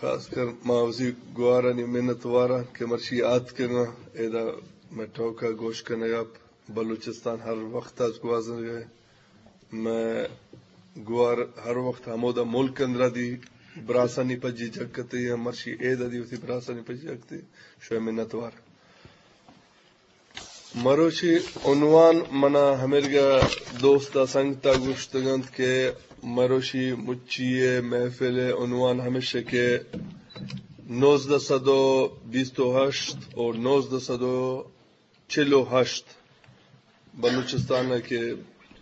خاص کر ما وثی گوارانی منت واراں کہ مرشی آتکگاں، ایدا مئے ٹوکا گوش کنگا بلوچستان ہر وقت از گوازنگا۔ مئے گوار ہر وقت ہمودا ملک اندرا دی براسانی پجی جگ کتے یا مرشی ایدا دی وثی براسانی پجی جگ کتے۔ شوئے منت وار۔ مروشی عنوان منا ہمیرگا دوست ء سنگت ء گوشتگ انت کہ مروشی مچی ء محفل ء عنوان ہمیش کہ نوزدہ سد و بیست و ہشت و نوزدہ سد و چل و ہشت بلوچستان ء کہ،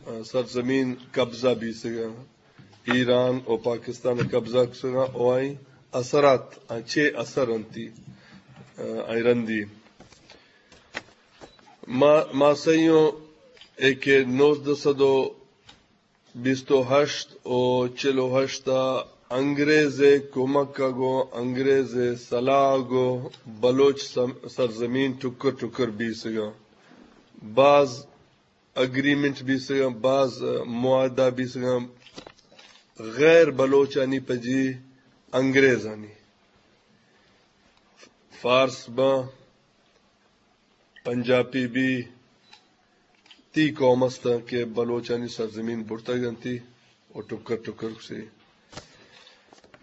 آ، سرزمین قبضہ بیسگا، ایران و پاکستان ء قبضہ کسگا، و آئی اثرات، آ، چے اثر انتی، آ، آئی رندی۔ ما، ما سئیوں اے کہ نوزدہ سد و بیست و ہشت و چل و ہشت ء انگریز ء کمک ء گوں انگریز ء سلاہ ء گوں بلوچ سم-، سرزمین ٹکر ٹکر بیسگاں۔ باز اگریمنٹ بیسگاں، باز معاہدہ بیسگاں، غیر بلوچانی پجی انگریزانی، فارس باں، پنجابی بی، تی قوم است کہ بلوچانی سرزمین برتگ انتی و ٹکر ٹکر کسی۔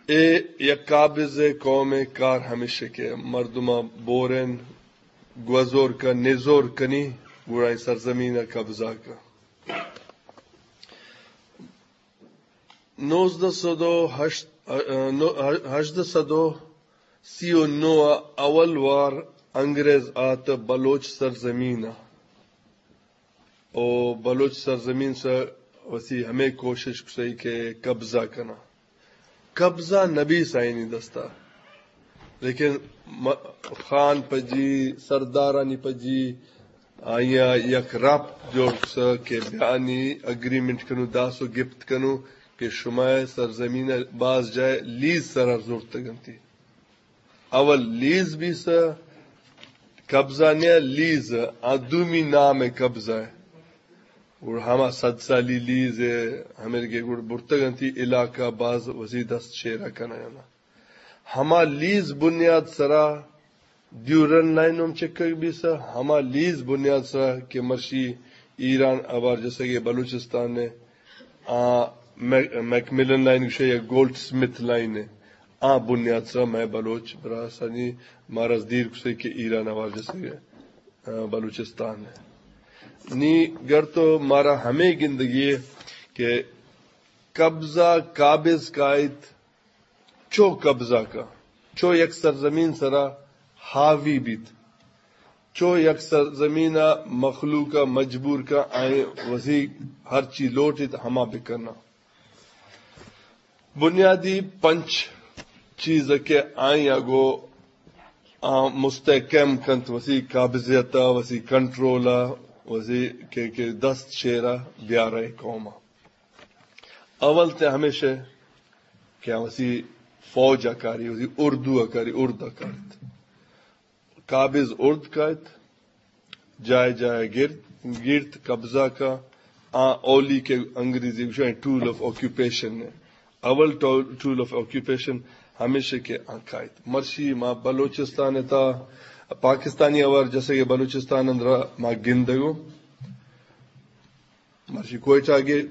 اے یک قابض قوم کار ہمیش کہ مردم بورن، گوزور کا نزور کنی، گڑا سرزمین قبضہ کا۔ نوزدہ سد و ہشت، نو-، ہژدہ سد و سی و نو ء اول وار انگریز آت بلوچ سرزمین ء، او بلوچ سرزمین سر وثی ہمے کوشش کسئی کہ قبضہ کنا۔ قبضہ نبیس آئینی دستا، لیکن م-، خان پجی، سردارانی پجی، آئیا یک رابط جوڑ کسا کہ بیانی اگریمنٹ کنو، داس و گپت کنو کہ شما سرزمین باز جائے لیز سرا زورتگ انتی۔ اول لیز بیسا، قبضہ نیا لیز، آ دومی نام قبضہ ہے۔ اور ہما صد سالی لیز ہے، ہمیں کے گڑ برتگ انتی علاقہ باز وزی دست شیرا کنگا۔ ہما لیز بنیاد سرا ڈیورنڈ لائن ہم چکگ بیسا، ہما لیز بنیاد سرا کہ مرشی ایران آوار جسگے بلوچستان نے، آ، میک-، میکملن لائن گوشے یا گولڈ سمتھ لائن ہے، آ بنیاد سرا میں بلوچ براسانی مارز دیر کسے کہ ایران آوار جسگے، آ، بلوچستان ہے۔ نی گر تو مارا ہمیں گندگی ہے کہ قبضہ قابض کائت، چو قبضہ کا، چو یک سرزمین سرا حاوی بیت، چو یک سرزمین ء مخلوق ء مجبور کا آئیں وزی ہر چی لوٹیت ہما بکنا۔ بنیادی پنچ چیز کہ آئیں اگو آ مستحکم کنت وسی قابضیت ء، وسی کنٹرول ء، وسی کہ، کہ دست شیرا بیارے قوم ء۔ اول تے ہمیش ہے کہ آ وسی فوج ء کاری، وسی اردو ء کاری، ارد ء کاریت۔ قابض ارد کایت، جائے جائے گرد، گیرت، قبضہ کا، آ اولی کہ انگریزی گوشاں ٹول آف آکیوپیشن ہے۔ اول ٹول، ٹول آف آکیوپیشن ہمیش ہے کہ آ کایت۔ مرشی ما بلوچستان تا پاکستانی آوار جسگے بلوچستان اندرا ما گندگو۔ مرشی کوئٹہ گے،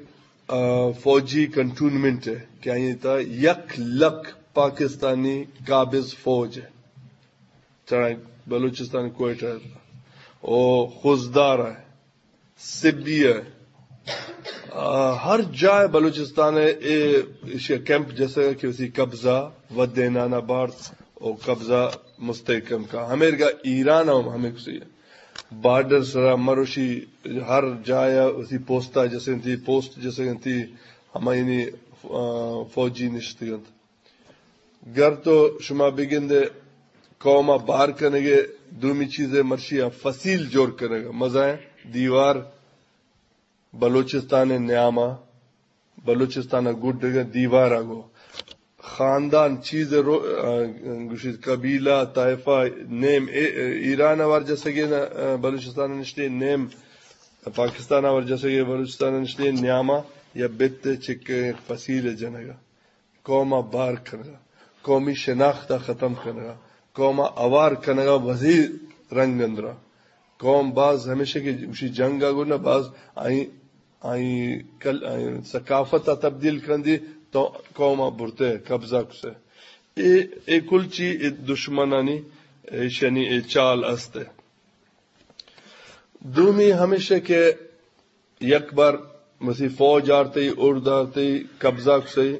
آ، فوجی کنٹونمنٹ ہے کہ آئی تا یک لکھ پاکستانی قابض فوج ہے۔ چڑا بلوچستان کوئٹہ ہے۔ او خضدار ہے، سبی ہے۔ آ، ہر جائے بلوچستان ہے، اے ایشی کیمپ جیسے کہ اسی قبضہ و دینانا بارت او قبضہ مستحکم کا۔ ہمیرگا ایران ہم ہمیں کسی ہے۔ بارڈر سرا مروشی ہر جایا اسی پوستا جسے انتی، پوسٹ جسے انتی، ہمائنی، آ، فوجی نشتگنت۔ گر تو شما بگندے قوما بار کنگے، دومی چیزے مرشی آ فصیل جوڑ کنگا، مزائیں دیوار بلوچستان نیاما، بلوچستان ء گڈگ ء دیوار ء گوں خاندان چیز رو-، آ، گوشیت قبیلہ، طائفہ، نیم اے-، ایران ء ورجسگیں، آ، بلوچستان ء نشتیں، نیم پاکستان ء ورجسگیں بلوچستان ء نشتیں، نیاما یا بت ء چکیں فصیل ء جنگ ء قوم ء بار کنگ ء۔ قومی شناخت ءَ ختم کنگ ءَ، قوم ءَ اوار کنگ ءَ وزی رنگ اندرا۔ قوم باز ہمیشہ کہ گوشی جنگ ءَ گڑا باز آئی، آئی کل-، آئی ثقافت ءَ تبدیل کندی تو قوم ءَ برتے قبضہ کسے۔ اے، اے کل چی اے دشمنانی ایشانی اے چال است۔ دومی ہمیشہ کہ یک بار مسیح فوج آرتی، ارد آرتی، قبضہ کسی،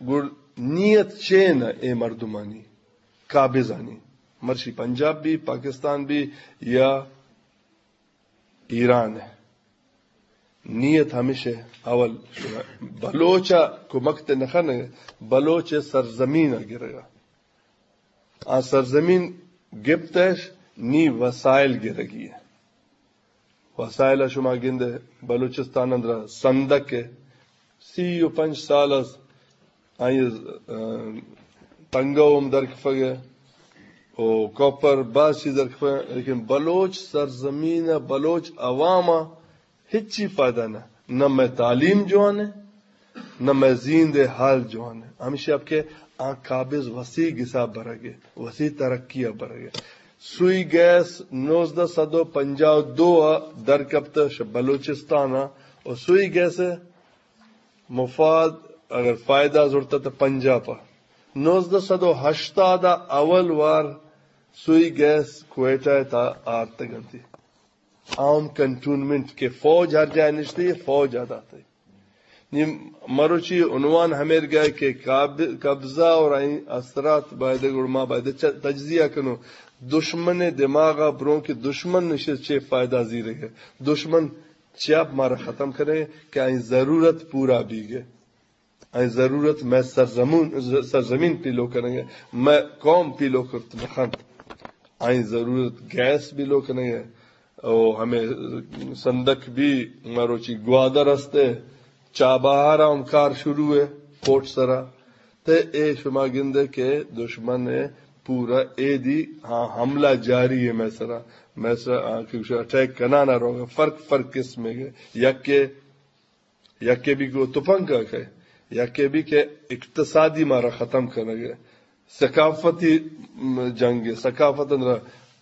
گڑ نیت چین اے مردمانی، قابضانی، مرشی پنجاب بھی، پاکستان بھی یا ایران ہے۔ نیت ہمیشہ اول بلوچ ءَ کمک تے نخن، بلوچ ءِ سرزمین ءَ گرگا۔ آ سرزمین گپتش نی وسائل گرگی ہے۔ وسائل شما گندے بلوچستان اندر سندک ہے، سی و پنچ سال از آئی، اه، تنگہ ہم درکفگ ہے، او کاپر باز چیز درکفگ ہے، لیکن بلوچ سرزمین، بلوچ عوام ہچی فائدہ نہ، نہ مئے تعلیم جوان ہے، نہ مئے زیند حال جوان ہے۔ ہمیشہ اب کہ آ قابض وسیع گسا برگ ہے، وسیع ترقی برگ ہے۔ سوئی گیس نوزدہ سد و پنجاہ و دو در کپت بلوچستان، اور سوئی گیس مفاد اگر فائدہ زرتا تو پنجاب۔ نوزدہ سد و ہشتاد اول وار سوئی گیس کوئٹہ تا آرتگ انتی۔ عام کنٹونمنٹ کہ فوج ہر جا نشتی، فوج آ داتے۔ نی مروچی عنوان ہمیر گئے کہ قاب-، قبضہ اور آئی اثرات باید گڑ ما باید چ-، تجزیہ کنو۔ دشمن دماغ بروں کہ دشمن نشے چے فائدہ زیرے گئے۔ دشمن چیاپ مارا ختم کرے کہ آئی ضرورت پورا بیگے۔ آئی ضرورت مئے سرزمون، سرزمین پیلو کنگے، مئے قوم پیلو کرت نخنت۔ آئی ضرورت گیس پیلو کنگے، او ہمیں سندک بھی مروچی گوادر استے، چابہار ہم کار شروع ہے، پورٹ سرا۔ تے اے شما گندے کہ دشمن ہے پورا اے دی، ہاں، حملہ جاری ہے مئے سرا۔ مئے سرا، ہاں، کہ اٹیک کنانا روگا، فرق، فرق قسم ہے۔ یکے یکے بھی کہ تپنگ ءَ کئے، یکے بھی کہ اقتصادی مارا ختم کنگ ءَ، ثقافتی، م، جنگ ءَ، ثقافت اندر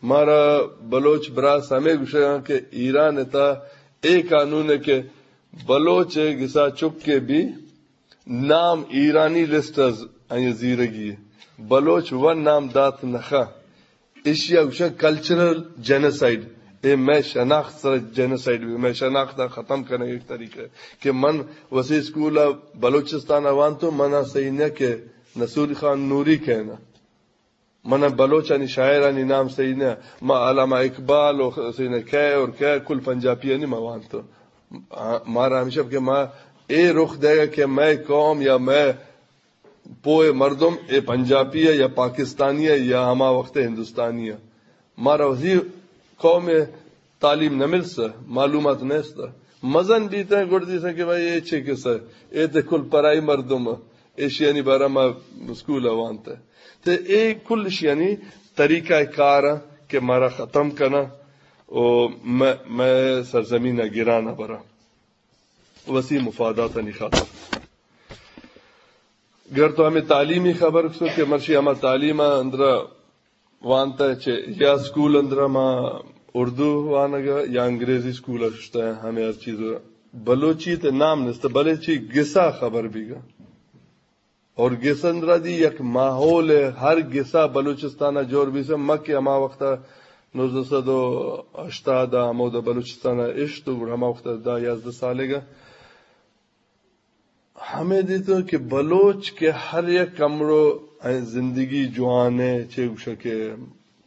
مارا بلوچ براس ہمے گوشگاں کہ ایران ءِ تہا اے قانون ہے کہ بلوچ ءِ گسا چکے بھی نام ایرانی لسٹ از آئی زیرگی ہے۔ بلوچ و نام دات نخا۔ ایشی ءَ گوشاں کلچرل جینوسائیڈ۔ اے مئے شناخت سر جینوسائیڈ بھی، مئے شناخت ءَ ختم کنگ ایک طریقہ ہے کہ من وسی اسکول ءَ بلوچستان ءَ وانتو، من ءَ صحیح نہ کہ نصیر خان نوری کہنا۔ من ءَ بلوچانی شاعرانی نام صحیح نہ، ما علامہ اقبال و صحیح نہ کئے اور کئے کل پنجابیانی ما وانتو۔ آ، مارا ہمیشہ کہ ما اے رخ دے گا کہ مئے قوم یا مئے پوئے مردم اے پنجابی ہے یا پاکستانی ہے یا ہما وقت ہندوستانی ہے۔ مارا وثی قوم تعلیم نہ ملسا، معلومات نیستا۔ مزن بیتیں گڑ دیسیں کہ بھائی اے چے کسہ، اے تے کل پرائی مردم، ایشیانی بارہ ما اسکول وانتا۔ تے اے کل ایشیانی طریقہ کار کہ مارا ختم کنا او مئے، مئے سرزمین گران برا۔ وثی مفاداتانی خاطر۔ گر تو ہمیں تعلیمی خبر کسو کہ مرشی ہما تعلیم اندرا وانتا چے یا اسکول اندرا ما اردو وانگا یا انگریزی اسکول شتا، ہمیں ہر چیز بلوچی تے نام نستا، بلے چی گسا خبر بیگا۔ اور گس اندرا دی یک ماحول ہے، ہر گسا بلوچستان جوڑ بیسا، مکہ ہما وقتا نوزدہ سد و ہشتاد ہمودا بلوچستان اشت و گڑا ہما وقتا دہ یازدہ سالے گا۔ ہمیں دیتو کہ بلوچ کہ ہر یک کمرو زندگی جوان ہے، چے گوشا کہ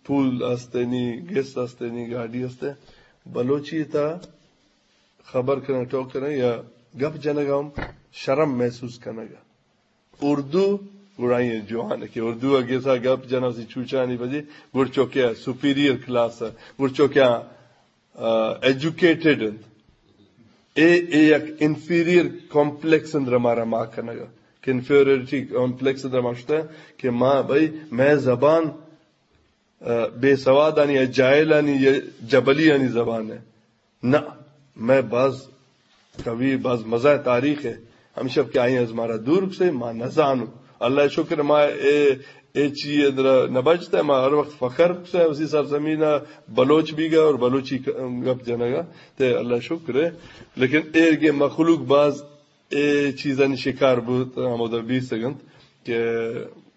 پول استنی، گس استنی، گاڑی استے، بلوچی تا خبر کنگ، ٹاک کنگ یا گپ جنگ ہم شرم محسوس کنگ۔ اردو گڑا یہ جوان ہے کہ اردو اگے سا گپ جنا سی چوچانی بجے گڑ چوکیا سپیریئر کلاس ہے، گڑ چوکیا ایجوکیٹڈ انت۔ اے، اے یک انفیریئر کمپلیکس اندر مارا ما کنگا، کہ انفیریئرٹی کمپلیکس اندر ما شتا کہ ما بھائی، مئے زبان، آ، بے سوادانی یا جاہلانی یا جبلیانی زبان ہے۔ نہ، مئے باز قوی، باز مزہ تاریخ ہے۔ ہمشب کہ آئی از مارا دور کسے، ما نزانو۔ اللہ شکر ما اے، اے چی اندرا نبجتا، ما ہر وقت فخر سے اسی سرزمین بلوچ بیگا اور بلوچی ک-، گپ جنگا، تے اللہ شکر ہے۔ لیکن ایر کے مخلوق باز اے چیزانی شکار بوت، ہمودا بیست گنت کہ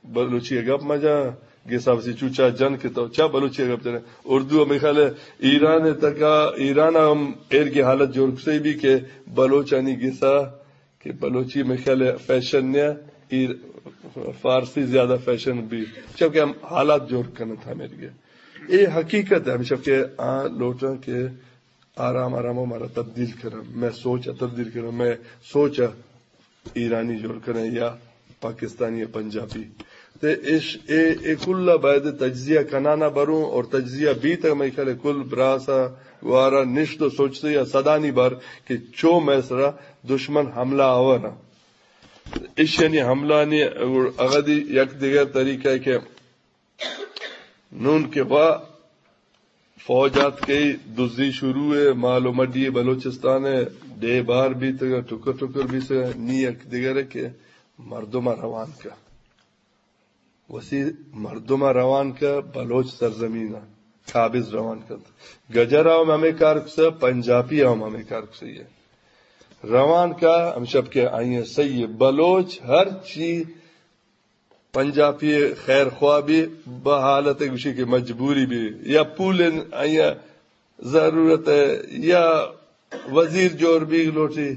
بلوچی گپ مجا، گسا وسی چوچا جن کہ تو چا بلوچی گپ جنے۔ اردو ہمیں خیال ہے ایران تکا، ایران ہم ایر کے حالت جوڑ کسے بھی کہ بلوچانی گسا کہ بلوچی میں خیال ہے فیشن نیا، ایر-، فارسی زیادہ فیشن بھی۔ چونکہ ہم حالات جوڑ کرنا تھا میرے کے۔ اے حقیقت ہے، ہمیشہ کہ آ لوٹاں کہ آرام آرام مارا تبدیل کرنا، میں سوچ تبدیل کرنا، میں سوچ ایرانی جوڑ کرنا یا پاکستانی یا پنجابی۔ تے اش-، اے، اے کلا باید تجزیہ کنانا بروں اور تجزیہ بیت، میں خیال کل براسا گوارا نشت و سوچتے یا صدانی بار کہ چو میں سرا دشمن حملہ آور۔ اش یعنی حملہ نی اگدی یک دیگر طریقہ ہے کہ نون کہ وا فوج آتکئی، دزی شروع ہے، مال و مڈی بلوچستان ہے، ڈے بار بیتگا، ٹکر ٹکر بیتگا، نی یک دگرے کہ مردم روان کا۔ وسی مردم روان کا بلوچ سرزمین، قابض روان کا۔ گجر ہم ہمیں کار کسا، پنجابی ہم ہمیں کار کسا یہ۔ روان کا ہم شب کے آئیں صحیح ہے۔ بلوچ ہر چی پنجابی خیر خواہ بھی بہ حالت گوشی کہ مجبوری بھی یا پول آیا ضرورت ہے یا وزیر جوڑ بھی لوٹی،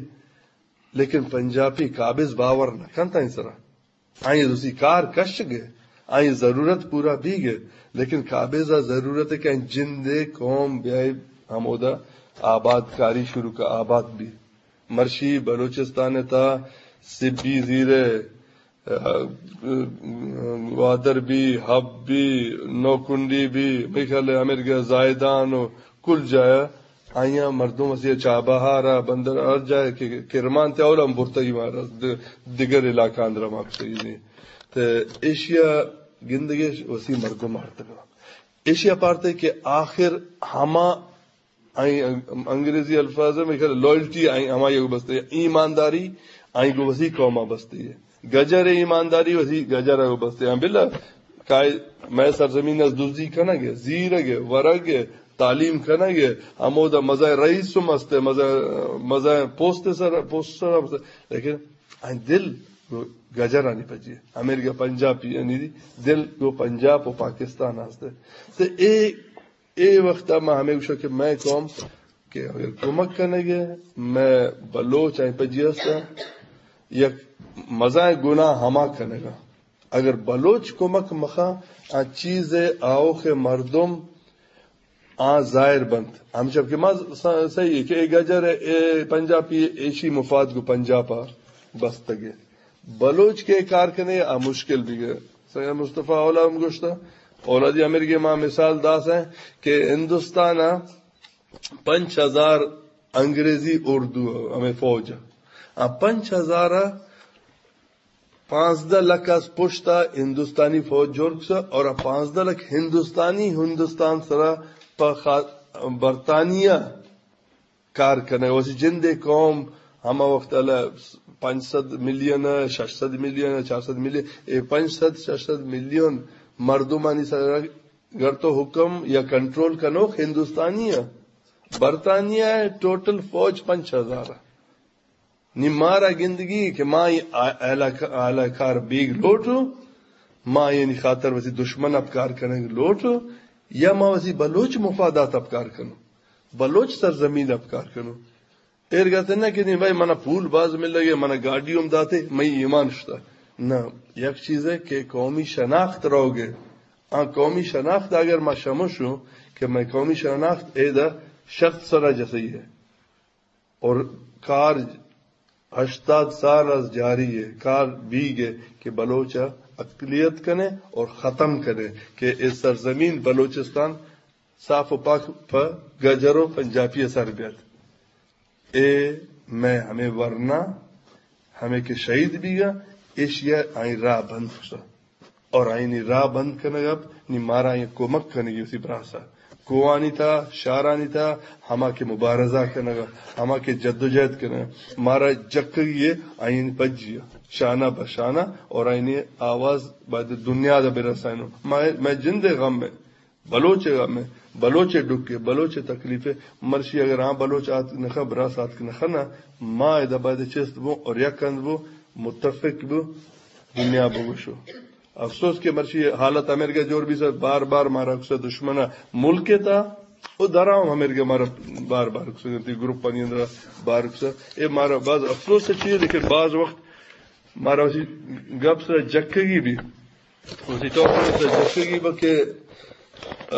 لیکن پنجابی قابض باور نہ کنتا ان سرا۔ آئی دوسری کار کش گئے، آئی ضرورت پورا بھی گئے، لیکن قابض ضرورت ہے کہ جندے قوم بیائے ہمودا آباد کاری شروع کا آباد بھی۔ مرشی بلوچستان تا سبی زیرے گوادر بی، حب بی، نوکنڈی بی، میخل امرگہ زاہدان و کل جایا آیاں مردم اسی چابہارا بندر ہر جاہ کہ کرمان تے اولا ہم برتگی مارا دگر علاقہ اندر ہم آپسگی۔ تے ایشیا گندگش وسی مردم آرتگا۔ ایشیا پارتے کہ آخر ہما آئی انگریزی الفاظ ہے، میرے خیال لائلٹی آئی ہمائی کو بستے ہے، ایمانداری آئی کو وسی قوما بستے ہے۔ گجر ایمانداری وسی گجر کو بستے ہیں۔ بلا کائے میں سرزمین از دزی کنگ ہے، زیرگ ہے، ورگ ہے، تعلیم کنگ ہے، ہمودا مزہ رئیس ہم است ہے، مزہ، مزہ پوست سر، پوست سر ہم است ہے۔ لیکن آئی دل گو گجرانی پجی ہے۔ امریکہ پنجاب یعنی دل گو پنجاب و پاکستان است ہے۔ تو اے اے وخت ء ما ہمے گوشاں کہ مئے قوم کہ اگر کمک کنگ ء مئے بلوچ ء پجی است، یک مزائیں گناہ ہما کنگ ء۔ اگر بلوچ کمک مخا، آ چیز ء آوخ مردم آ ظاہر بنت۔ ہمشب کہ ما س-، صحیح ہے کہ اے گجر ء، اے پنجابی ایشی مفاد گو پنجاب ء بستگ ء۔ بلوچ کے کار کنے آ مشکل بھی گئے۔ سید مصطفی اولا ہم گوشتا، اولادی امیر کے ما مثال داس ہیں کہ ہندوستان ء پنچ ہزار انگریزی اردو ہمیں فوج ء۔ آ پنچ ہزار ء پانزدہ لکھ از پشت ء ہندوستانی فوج جوڑ کسا اور آ پانزدہ لکھ ہندوستانی ہندوستان سرا پہ خا-، برطانیہ کار کنگ۔ وسی جندے قوم ہما وخت ء پنچ سد ملین ء، شش سد ملین ء، چار سد ملین، اے پنچ سد، شش سد ملین مردمانی سر گر تو حکم یا کنٹرول کنوک ہندوستانی ء۔ برطانیہ ء ٹوٹل فوج پنچ ہزار ء۔ نی مارا گندگی کہ ما اے آ-، اہلہ ک-، اہلہ کار بیگ لوٹو، ما یعنی خاطر وسی دشمن اپکار کنگ لوٹو، یا ما وسی بلوچ مفادات اپکار کنو، بلوچ سرزمین اپکار کنو۔ ایر گتے نہ کہ نہیں بھائی، منا پول باز مل لگے، منا گاڑی ہم داتے، میں ایمان شتا۔ نہ، یک چیز ہے کہ قومی شناخت رہو گے۔ آ قومی شناخت اگر ما شمشو کہ میں قومی شناخت اے دا شرط سرا جسئی ہے۔ اور کار ہشتاد سال از جاری ہے، کار بیگ ہے کہ بلوچ اقلیت کنے اور ختم کنے کہ اے سرزمین بلوچستان صاف و پاک پہ گجر و پنجابی سر بیت۔ اے میں ہمیں ورنا، ہمیں کہ شہید بیگا، ایشیا آئی راہ بند کسا۔ اور آئینی راہ بند کنگ اب نی مارا آئی کمک کنگی اسی براسا۔ کوہانی تہا، شہرانی تہا، ہما کہ مبارزہ کنگ ءَ، ہما کہ جدوجہد کنگ ءَ، مارا جکگی ءَ آئین پجی ءَ، شانہ بہ شانہ، اور آئینی آواز باید دنیا دا برسائینو۔ مئے، مئے جند ءِ غم ءَ، بلوچ ءِ غم ءَ، بلوچ ءِ ڈکھ ءَ، بلوچ ءِ تکلیف ءَ، مرشی اگر آ بلوچ آتک نہ کن، براس آتک نہ کن، ما ادا باید چست بوں اور یک ہند بوں، متفق بوں، دنیا بگوشو۔ افسوس کہ مرچی حالت ہمیرگا جوڑ بیثہ، بار بار مارا گوشثہ دشمن ءِ ملک ءِ تہا، او درا ہم ہمیرگا مارا بار بار گوشثہ، گروپانی اندرا بار گوشثہ۔ اے مارا باز افسوس ءِ چیز، لیکن باز وقت مارا اسی گپ سرا جکگی بی، اسی ٹاپک سرا جکگی بی کہ، آ،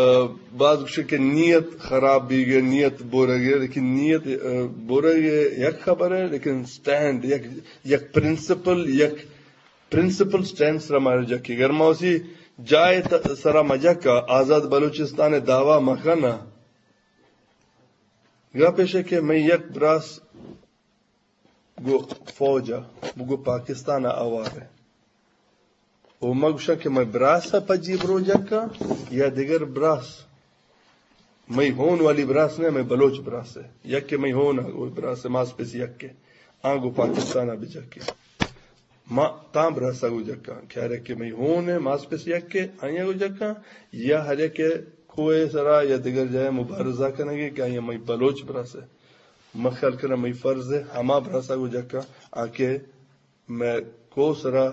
باز گوشے کہ نیت خراب بیگ ءَ، نیت بورگ ءَ، لیکن نیت، آ، بورگ ءِ یک خبر ءِ، لیکن سٹینڈ، یک، یک پرنسپل، یک پرنسپل سٹینڈ سرا مارا جکے۔ اگر ما اسی جاہ ءِ ت-، سرا مجکا، آزاد بلوچستان ءِ دعویٰ مکنا، گپ ایش کہ مئے یک براس گو فوج ءَ، گو پاکستان ءَ آوار ءِ۔ او ما گوشاں کہ مئے براس ءَ پجی برو جکا یا دگر براس؟ مئے ہون والی براس نہ، مئے بلوچ براس ءِ۔ یک کہ مئے ہون ءَ گو براس ءِ، ماس پیس یک ءِ، آں گو پاکستان ءَ بجکے۔ ما تاں براس ءَ گو جکاں، کہ ہر یک کہ مئے ہون ءِ، ماس پیس یک ءِ، آئی ءَ گو جکاں، یا ہر یک کہ کوہ ءِ سرا یا دگر جاہ ءَ مبارزہ کنگے کہ آئی ءَ مئے بلوچ براس ءِ۔ ما خیال کناں مئے فرض ءِ ہما براس ءَ گو جکاں، آ کہ مئے کوہ سرا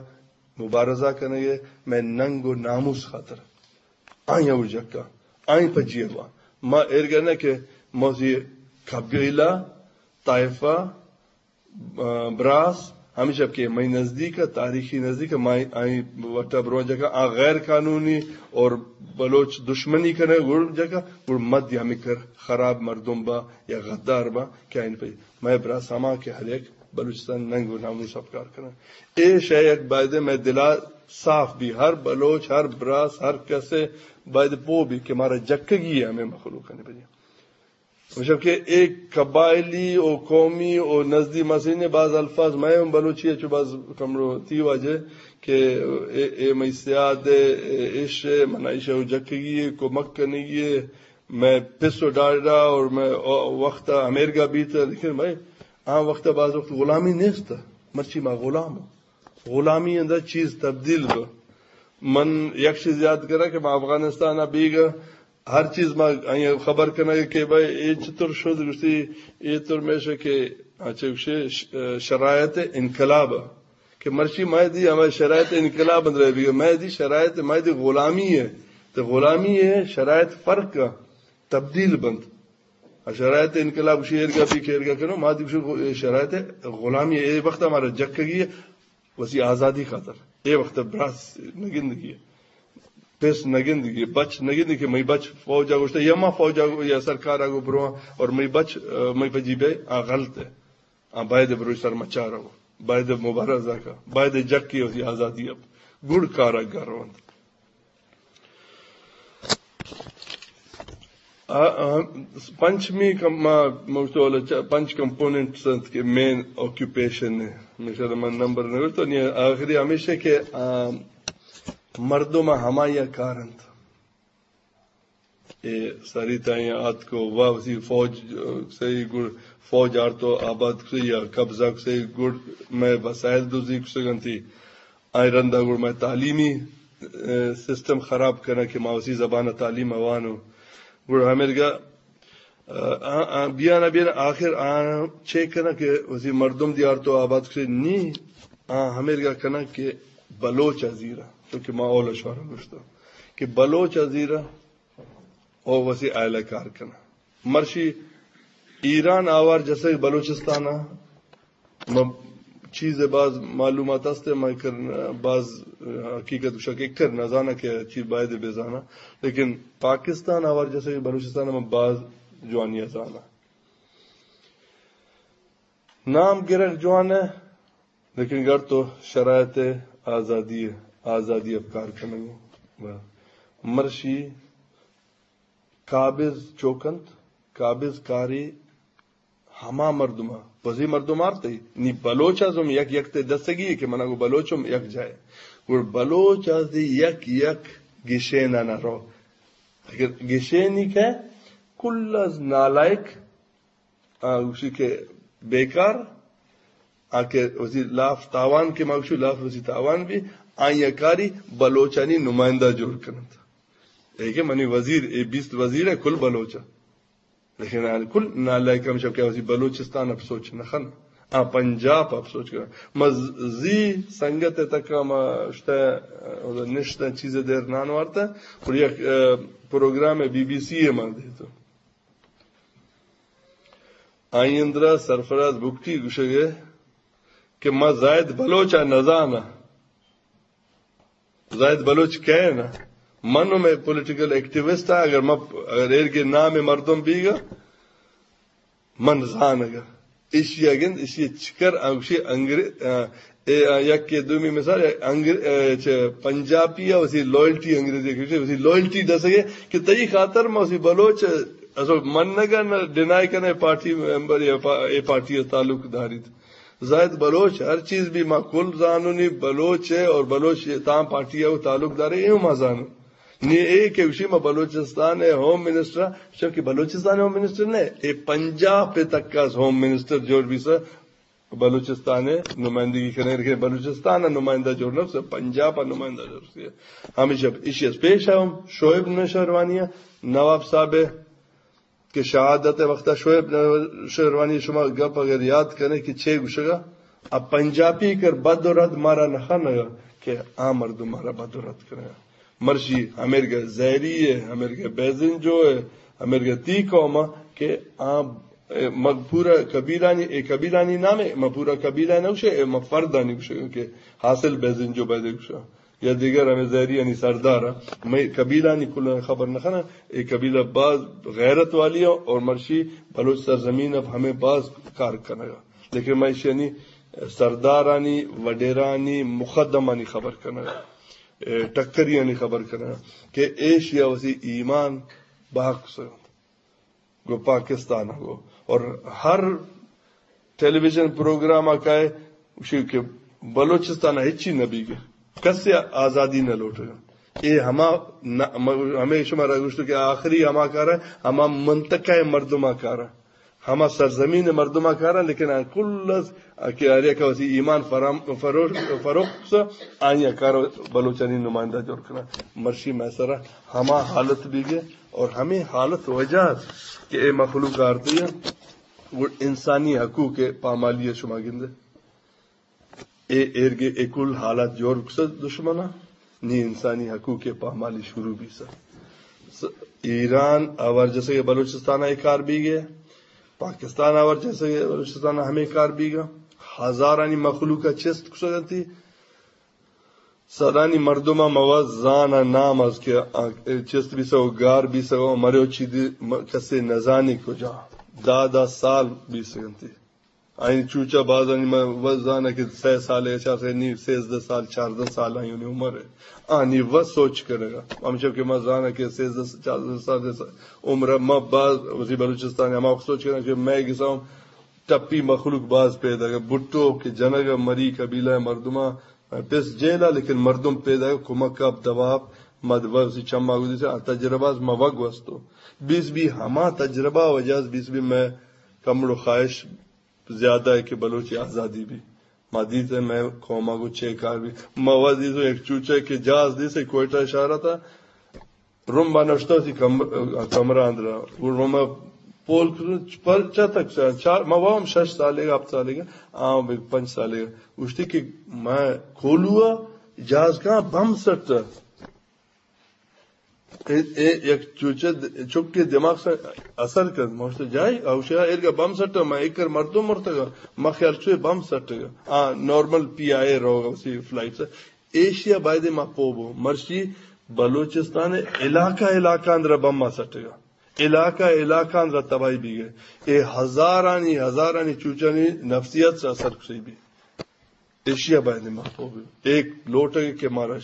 مبارزہ کنگے، مئے ننگ و ناموس خاطر۔ آئی ءَ گو جکاں، آئی پجی ءَ باں۔ ما ایرگا نہ کہ موسی قبیلہ، طائفہ، آ، براس، ہمیشہ کہ مئے نزدیک ءَ، تاریخی نزدیک ءَ، ما آئی وٹا برو جکا، آ غیر قانونی اور بلوچ دشمنی کنے گڑ جکا، گڑ مد یا مکر خراب مردم با یا غدار با، کہ آئین پہ مئے براس ہما کہ ہر یک بلوچستان ننگ و ناموس اپکار کنن۔ اے شے یک بایدے مئے دلا صاف بی، ہر بلوچ، ہر براس، ہر کسے باید پو بی کہ مارا جکگی ہے ہمیں مخلوق نے بجے۔ مطلب کہ ایک قبائلی و قومی و نزدی مسینے باز الفاظ مئے ہم بلوچی ہے، چو باز کمرو تی واجہ کہ اے، اے مئی سیاد ہے، اے ایش ہے، منا ایش ہے، جکگی ہے، کمک کنگی ہے، مئے پس و ڈاڈا اور مئے وقت ہمیرگا بیت، لیکن بھائی، آ وقت باز وقت غلامی نیست، مرچی ما غلام ہوں۔ غلامی اندر چیز تبدیل بہ۔ من یک چیز یاد کرا کہ ما افغانستان بیگا ہر چیز ما آئی خبر کنگ کہ بھائی اے چطور شد، گوشتی اے طور میشہ کہ اچھا گوشے ش-، شرایط انقلاب کہ مرچی مئے دی ہمیں شرایط انقلاب اندر بیگا، مئے دی شرایط، مئے دی غلامی ہے۔ تو غلامی ہے، شرایط فرق کا تبدیل بنت۔ شرایط انقلاب شی ایرگا بی کہ ایرگا کنو، ما دی شرایط غلامی ہے۔ اے وقت ہمارا جکگی ہے، وسی آزادی خاطر۔ اے وقت براس نگندگی ہے، پس نگندگی ہے، بچ نگندگی کہ مئی بچ فوجا گوشتا یا ما فوجا گو-، یا سرکارا گو برواں اور مئی بچ، آ، مئی پجی بے آ غلط ہے۔ آ باید بروی سر مچار ہو، باید مبارزہ کا، باید جکی وسی آزادی اب گڑ کارا گروند۔ آ، آ، پنچمی کم-، ما، ما گوشتو والا چا-، پنچ کمپوننٹس انت کہ مین آکوپیشن ہے۔ ہمیشہ من نمبر نہ گوشتو، نی آخری ہمیشہ کہ، آ، مردم ہمائی کار انت۔ اے ساری تائیں آتکو وا وسی فوج، آ، صحیح گڑ فوج آرتو آباد کسی یا قبضہ کسی گڑ میں وسائل دوزی کسگنتی۔ آئی رندا گڑ مئے تعلیمی، آ، سسٹم خراب کناں کہ ما وسی زبان ءَ تعلیم ءَ وانوں۔ گڑ ہمیرگا، آ، آ، آ، بیان ءَ بیان آخر آ چے کناں کہ وسی مردم دیار تو آباد کشے نی، آ ہمیرگا کناں کہ بلوچ ءَ زیرا، چونکہ ما اولا شوارا گوشتا کہ بلوچ ءَ زیرا او وسی آئلہ کار کناں۔ مرشی ایران آوار جسگ بلوچستان ءَ ما چیز باز معلومات است، ما کر باز حقیقت گوشاں کہ کر نہ زاناں کہ چی باید بہ زاناں، لیکن پاکستان آوار جسگ بلوچستان ءَ ما باز جوانی ءَ زاناں۔ نام گرگ جوان ہے، لیکن گر تو شرایط آزادی، آزادی ءَ کار کنگ ءَ مرشی قابض چوکنت، قابض کاری ہما مردم ءَ، بزی مردم آرتے، نی بلوچ ازم یک یک تے دستگی ہے کہ منا گو بلوچم یک جائے۔ گڑ بلوچ از دی یک یک گشین ءَ نہ رو۔ اگر گشینی کہ کل از نالائق، آ، گوشی کہ بیکار، آ کہ وتی لاف تاوان کہ ما گوشی لاف وتی تاوان بی، آئی کاری بلوچانی نمائندہ جوڑ کنت۔ اے کہ منی وزیر، اے بیست وزیر ہے، کل بلوچ ہے۔ لیکن آ کل نالائق ہم شب کہ وتی بلوچستان اب سوچ نہ خن۔ آ پنجاب اب سوچ کن۔ ما ز-، زی سنگت تک ما اشتا، نشتا چیز دیر نان وارتا۔ اور یک، آ، پروگرام بی بی سی ہے ما دیتو۔ آئی اندرا سرفراز بگٹی گوشگے کہ ما زاہد بلوچ ء نزاناں۔ زاہد بلوچ کئے نا؟ من ہم پولیٹیکل ایکٹیوسٹ آں، اگر ما، اگر ایرگے نام مردم بیگا، من زانگا۔ ایشی ء گند، ایشی ء چکر آ گوشی انگریز، آ، اے، آ، یک کے دومی مثال، انگر-، آ، چہ پنجابی ء وسی لائلٹی انگریزی ء گوشی، وسی لائلٹی دسگے کہ تئی خاطر ما وسی بلوچ، اصل منگا نہ ڈینائی کنے پارٹی ممبر یا پا-، اے پارٹی ء تعلق داریت۔ زاہد بلوچ ہر چیز بھی ما کل زانونی بلوچ ہے اور بلوچ تام پارٹی ء تعلق دارے، اے ما زانو۔ نی اے کہ گوشی ما بلوچستان ء ہوم منسٹر، چونکہ بلوچستان ء ہوم منسٹر نہ، اے پنجاب پہ تک از ہوم منسٹر جوڑ بیسا، بلوچستان ء نمائندگی کنے، لیکن بلوچستان ء نمائندہ جوڑ نہ، پنجاب ء نمائندہ جوڑ سی۔ ہمیشہ ایشی از پیش ہم شعیب نوشیروانی ء نواب صاحب ء کہ شہادت ء وقت ء شعیب نوشیروانی شما گپ اگر یاد کنے کہ چے گوشگا، ا پنجابی کر بد و رد مارا نہ خنگا کہ آ مردم مارا بد و رد کنگا۔ مرشی ہمیرگا زہری ہے، ہمیرگا بیزنجو ہے، ہمیرگا تی قوم کہ آ، اے، مگ پورا قبیلانی، اے قبیلانی نام ہے، ما پورا قبیلہ نہ گوشے، اے ما فردانی گوشے کہ حاصل بیزنجو بیدے گوشا۔ یا دیگر ہمے زہریانی سردار ء۔ مئے قبیلانی کل خبر نہ خنا، اے قبیلہ باز غیرت والی ء اور مرشی بلوچ سرزمین اب ہمیں باز کار کنگا۔ لیکن میں ایشانی سردارانی، وڈیرانی، مقدمانی خبر کنگا، اے ٹکریانی خبر کنگا کہ ایشیا وسی ایمان باکس گو پاکستان گو۔ اور ہر ٹیلی ویژن پروگرام آ کائے، گوشی کہ بلوچستان ہچی نہ بیگے، کسے آزادی نہ لوٹگا۔ اے ہما نہ، م-، ہمیں شمارا گوشتو کہ آخری ہما کار ہے، ہما منطقہ مردم آ کار ہے، ہما سرزمین مردم آ کار ہے، لیکن آ کل از کہ ہر یک وسی ایمان فرام-، فروش-، فروخت، آئی کار بلوچانی نمائندہ جوڑ کنا۔ مرشی میں سرا ہما حالت بیگے اور ہمیں حالت وجہ کہ اے مخلوق آرتی ہے، وہ انسانی حقوق پامالی ہے، شما گندے۔ اے ایرگے اے کل حالات جوڑ بکسد دشمنا، نی انسانی حقوق پامالی شروع بیسا۔ س-، ایران آوار جیسے کہ بلوچستان اے کار بیگے، پاکستان آوار جیسے کہ بلوچستان ہمیں کار بیگا، ہزارانی مخلوق چست کسگنتی، صدانی مردم ء موز زان ء نام از کہ آ-، چست بیسگ و گار بیسگ و مرے و چیدی م-، کسے نزانی کجا۔ دہ دہ سال بیسگنتی۔ آئی چوچا بازانی موز زان ء کہ سہ سال ء چار سال نی سیزدہ سال، چاردہ سال آئی عمر ہے۔ آنی و سوچ کنگا۔ ہمچو کہ ما زان ء کہ سیزدہ چاردہ سال عمر ء ما باز وزی بلوچستان ء ہما وقت سوچ کنگا کہ میں گساؤں ٹپی مخلوق باز پیداگ ء، بھٹو کہ جنگ ء مری قبیلہ ء مردماں پس جیل ء، لیکن مردم پیداگ ء کمک ء دوا ء مد وسی چما گدی سے آ تجربہ از ما وگ وستو۔ بیس بی ہما تجربہ وجہ از بیس بی میں کمڑو خواہش زیادہ ہے کہ بلوچی آزادی بھی۔ ما دیتے میں قوما گو چے کار بھی۔ ما وزی تو ایک چوچے کہ جاز دی سے کوئٹہ اشارہ تھا۔ روم با نشتہ سی کم-، کمرہ اندرا۔ وہ روم پول کر-، پر چا تک چا-، چار، ما وام شش سالے گا، ہفت سالے گا، آ بھی پنچ سالے گا۔ گوشتی کہ میں کولوا جہاز کہاں بم سٹ۔ اے، اے یک چوچہ د-، چکے دماغ سے اثر کر۔ ما گوشتی جائی، اوشیا ایرگا بم سٹ، میں ایک کر مردم مرتگا، ما خیال چوئے بم سٹگا۔ آ، نارمل پی آئی اے روگا اسی فلائٹ سے۔ ایشیا بایدے ما پوہ بو، مرشی بلوچستان علاقہ علاقہ اندر بم ما سٹگا، علاقہ علاقہ اندر تباہی بیگے۔ اے ہزارانی ہزارانی چوچانی نفسیات سے اثر کسی بھی۔ ایشیا بایدے ما پوہ بو۔ ایک لوٹگے کہ مارا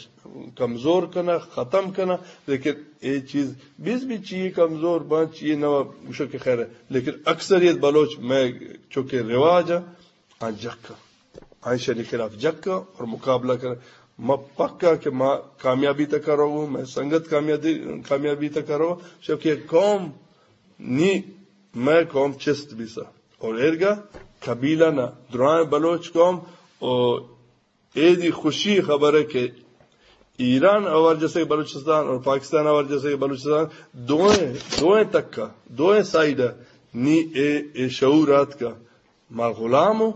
کمزور کنا، ختم کنا، لیکن اے چیز بیس بھی چیئے کمزور بان، چیئے نوا گوشو کہ خیر ہے، لیکن اکثریت بلوچ میں چونکہ رواج ہے، آ جکا، آئیشانی خلاف جکا اور مقابلہ کر۔ ما پکا کہ ما کامیابی تک کرو، میں سنگت کامیابی، کامیابی تک کرو، شو کہ قوم نی مئے قوم چست بیسا۔ اور ایرگا قبیلہ نا، درائیں بلوچ قوم، اور ایدی خوشی خبر ہے کہ ایران اور جیسے کہ بلوچستان اور پاکستان اور جیسے کہ بلوچستان، دوئیں، دوئیں تک کا، دوئیں سائیڈ نی اے، اے شعور آت کا۔ ما غلام ہو،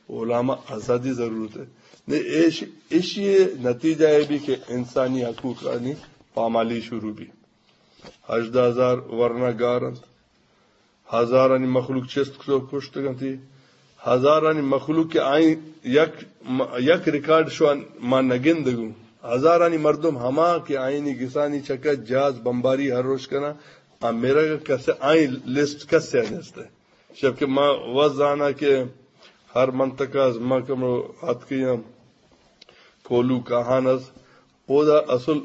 غلام آزادی ضرورت ہے۔ نے ایش، ایشی نتیجہ ہے بھی کہ انسانی حقوق آنی پامالی شروع بھی۔ ہژدہ ہزار ورنا گار انت، ہزارانی مخلوق چست کتو کشتگ انتی، ہزارانی مخلوق کہ آئی یک، یک ریکارڈ شوان ما نگندگوں، ہزارانی مردم ہما کہ آئینی گسانی چکا جاز بمباری ہر روش کنا، آ میرا کسے آئی لسٹ کسے نیستے۔ شب کہ ما وزانا کہ ہر منطقہ از ما کمو آتکیاں، کولو کاہان از، اودا اصل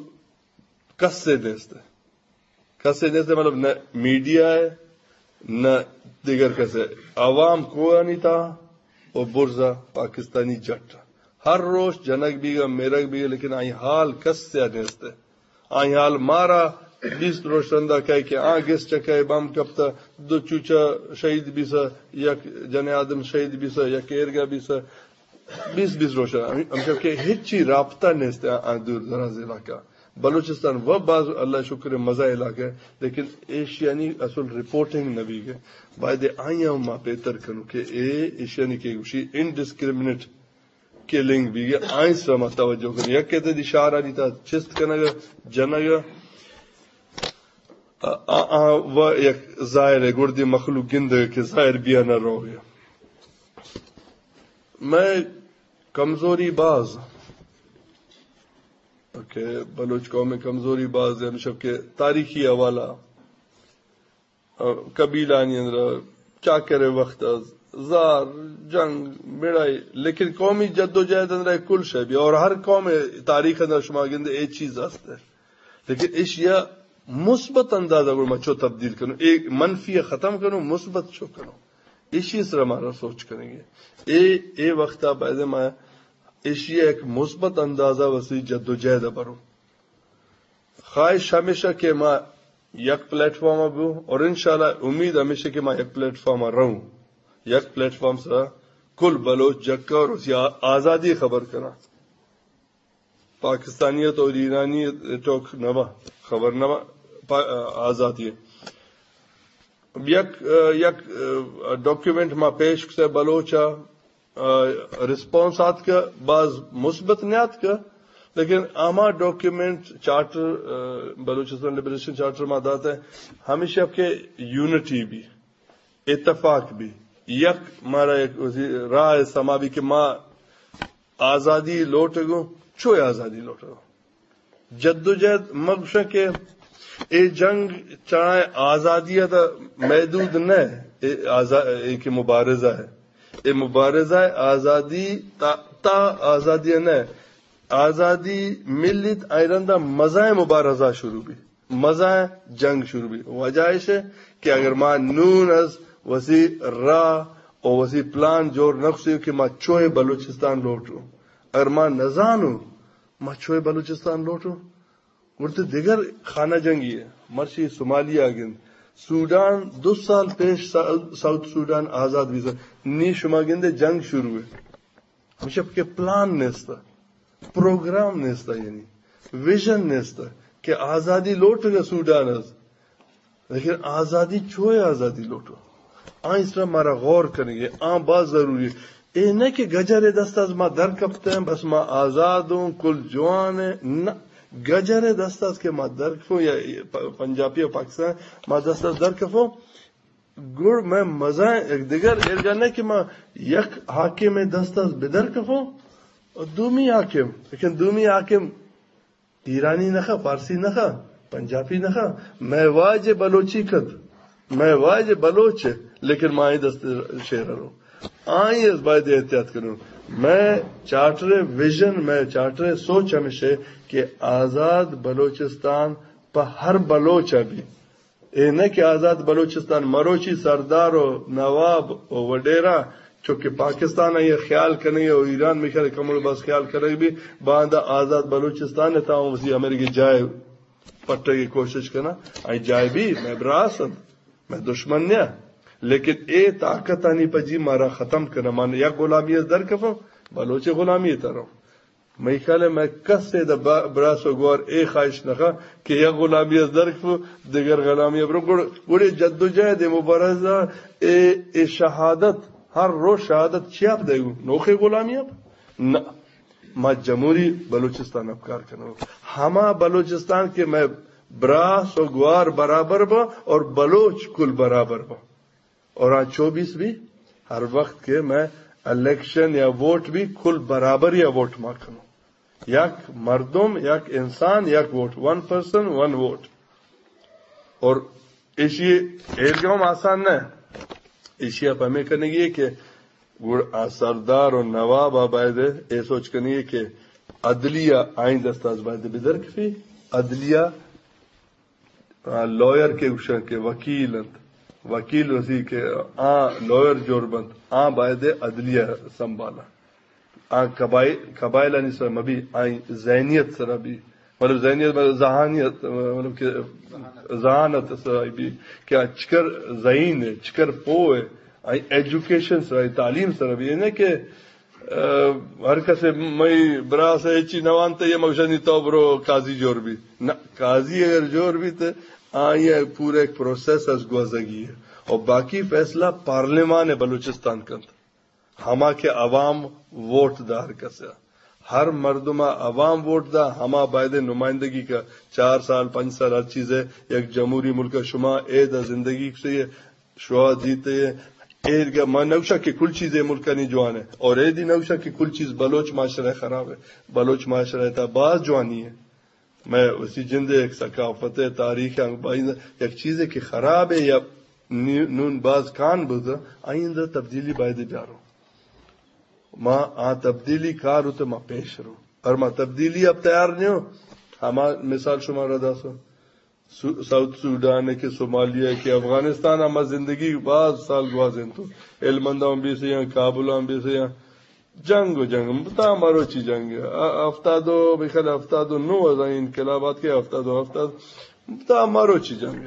کسے نیست۔ کسے نیست، مطلب، نہ میڈیا ہے، نہ دیگر کسے۔ عوام کوہانی تا و برزا پاکستانی جٹ۔ ہر روش جنگ بیگا، میرگ بیگا، لیکن آئی حال کسے نیست۔ آئی حال مارا بیست روش رندا کہے کہ آ گس چکے بم کپتا، دو چوچا شہید بیسا، یک جن آدم شہید بیسا، یک ایرگا بیسا، بیست بیست روش۔ ہم، ہمشہ کہ ہچی رابطہ نیست آ، آ دور دراز علاقہ۔ بلوچستان و باز اللہ شکر مزہ علاقہ ہے، لیکن ایشیانی اصل رپورٹنگ نہ بیگے۔ باید آئی ہم ما بہتر کنو کہ اے ایشیانی کہ گوشی انڈسکریمنیٹ کلنگ بیگے، آئی سرا ما توجہ کنو۔ یک کہتے دی شہرانی تا چست کنگا، جنگا، آ، آ، آ، و یک ظاہر ہے، گڑدی مخلوق گندگا کہ ظاہر بیا نہ روگے۔ میں کمزوری باز کہ بلوچ قوم کمزوری باز ہے، ہمشہ کہ تاریخی حوالہ، آ، قبیلانی اندر چاکر وقت از زار، جنگ، مڑائی، لیکن قومی جد و جہد اندر کل شے بھی، اور ہر قوم تاریخ اندر شما گندے اے چیز است ہے۔ لیکن ایشیا مثبت انداز اگر ما چو تبدیل کنو، اے منفی ختم کنو، مثبت چو کنو، ایشی سر ہمارا سوچ کریں گے۔ اے، اے وقت باید ما ایشی ایک مثبت اندازہ وسی جد و جہد برو۔ خواہش ہمیشہ کہ ما یک پلیٹ فارم بو، اور انشاءاللہ امید ہمیشہ کہ ما یک پلیٹ فارم رہوں، یک پلیٹ فارم سرا کل بلوچ جکا اور اسی آ-، آزادی خبر کرا۔ پاکستانیت اور ایرانی ٹوک نوا خبر نوا پا-، آزادی ہے۔ یک، یک ڈاکیومنٹ ما پیش کتے بلوچا، آ، رسپانس آتکہ، باز مثبت نیاتکہ، لیکن ہما ڈاکیومنٹ چارٹر، آ، بلوچستان لبریشن چارٹر ما داتہ، ہمیشہ کہ یونٹی بھی، اتفاق بھی، یک مارا یک وثی راہ سما بھی کہ ما آزادی لوٹگوں، چوئے آزادی لوٹگوں۔ جدوجہد مگوشاں کہ اے جنگ چاہے آزادی ء تہ محدود نہ، اے آزا-، اے کہ مبارزہ ہے، اے مبارزہ ہے آزادی تا، تا آزادی نہ، آزادی ملیت آئی رندا مزائیں مبارزہ شروع بی، مزائیں جنگ شروع بی۔ وجہ ایش ہے کہ اگر ما نون از وثی راہ و وثی پلان جوڑ نکثی کہ ما چوئے بلوچستان لوٹوں، اگر ما نزانوں ما چوئے بلوچستان لوٹوں، گڑتے دگر خانہ جنگی ہے۔ مرچی صومالیہ گند، سوڈان دو سال پیش سا-، ساؤتھ سوڈان آزاد بیثہ، نی شما گندے جنگ شروع ہے۔ مشپ کہ پلان نیستا، پروگرام نیستا، یعنی ویژن نیستا کہ آزادی لوٹگا سوڈان از۔ لیکن آزادی چوئے آزادی لوٹو؟ آ اس طرح مارا غور کنگے، آ باز ضروری ہے۔ اے نہ کہ گجر دست از ما در کپتے ہیں، بس ما آزاد ہوں، کل جوان ہے۔ نہ، گجر دست از کہ ما در کپوں یا پ-، پنجابی و پاکستان ما دست از در کپوں، گڑ میں مزائیں یک دگر ایرگا نہ کہ ما یک حاکم دست از بدر کپوں، دومی حاکم، لیکن دومی حاکم ایرانی نخا، فارسی نخا، پنجابی نخا، مئے واجہ بلوچی کت، مئے واجہ بلوچ ہے، لیکن ما آئی دست شیر رو۔ آئی از باید احتیاط کنوں۔ مئے چارٹر ویژن، مئے چارٹر سوچ ہمیش ہے کہ آزاد بلوچستان پہ ہر بلوچ ء بی۔ اے نہ کہ آزاد بلوچستان مروچی سردار و نواب و وڈیرا چونکہ پاکستان ء یہ خیال کنگ و ایران میخر کمل بس خیال کنگ بی، باندا آزاد بلوچستان ء تاں وثی امریکہ جائے پٹگ ء کوشش کنا، آئی جائے بی مئے براس انت۔ مئے دشمن نیا، لیکن اے طاقتانی پجی مارا ختم کناں۔ من یک غلامی از در کفاں، بلوچ غلامی تروں۔ مئی خیال ء مئے کس ء دہ با-، براس و گوار اے خواہش نخواہ کہ یک غلامی از در کفو، دگر غلامی برو۔ گڑ-، گڑے جدوجہد ء مبارزہ ء، اے شہادت، ہر روز شہادت چیا بدئیگو؟ نوخیں غلامی ء؟ نہ، ما جمہوری بلوچستان ء کار کنو۔ ہما بلوچستان کہ مئے براس و گوار برابر با اور بلوچ کل برابر با۔ اور آ چوبیس بھی، ہر وقت کہ مئے الیکشن یا ووٹ بھی، کل برابری ء ووٹ ما کنو۔ یک مردم، یک انسان، یک ووٹ، ون پرسن، ون ووٹ۔ اور ایشی ایرگاؤں آسان نہ، ایشی ء پمے کنگی کہ گڑ آ سردار و نواب ء باید اے سوچ کنگی کہ عدلیہ آئیں دستاز باید بدر کفی۔ عدلیہ آ، لائر کہ گوشاں کہ وکیل انت، وکیل وسی کہ آ لائر جوڑ بنت، آ باید عدلیہ سنبھالا۔ آ قبائل، قبائلانی سر مبی، آئی ذہنیت سر بی، مطلب ذہنیت، مطلب ذہانیت، مطلب کہ ذہانت سر بی کہ آ چکر ذہین ہے، چکر پو ہے، آئی ایجوکیشن سر، آئی تعلیم سر بی، نہ کہ ء، ہر کس مئی براس ء ہچی نہ وانت، یہ مگشانی تو برو قاضی جوڑ بی۔ نہ، قاضی اگر جوڑ بی تو آئی ء پورا ایک پروسیس از گوزگی ہے۔ اور باقی فیصلہ پارلیمان بلوچستان کنت۔ ہما کہ عوام ووٹ دا ہر کس ء۔ ہر مردم ء عوام ووٹ دا، ہما باید نمائندگی کا چار سال، پنچ سال ہر چیز ہے۔ یک جمہوری ملک ء شما اے دا زندگی کسی ہے۔ شوا دیتے، ایرگا ما نوشا کہ کل چیز اے ملکانی جوان ہے، اور اے دی نوشا کہ کل چیز بلوچ معاشرہ خراب ہے۔ بلوچ معاشرہ تا باز جوانی ہے۔ میں اسی جندے ایک ثقافت ہے، تاریخ ہے، بائی یک چیز ہے کہ خراب ہے یا نی-، نون باز کان بوتا، آئندہ تبدیلی باید بیارو۔ ما آ تبدیلی کار ہوتے ما پیش رو۔ اور ما تبدیلی اب تیار نہیں ہو۔ ہما مثال شما را داسو۔ سو-، ساؤتھ سوڈان ء کہ، صومالیہ ء کہ، افغانستان ء ما زندگی باز سال گوازینتو۔ ہلمند ء ہم بیسے آں، کابل ء ہم بیسے آں۔ جنگ و جنگ، تا مروچی جنگ۔ ا-، ہفتاد و، بخیر ہفتاد و نو از این انقلابات کہ ہفتاد و ہفتاد، تا مروچی جنگ۔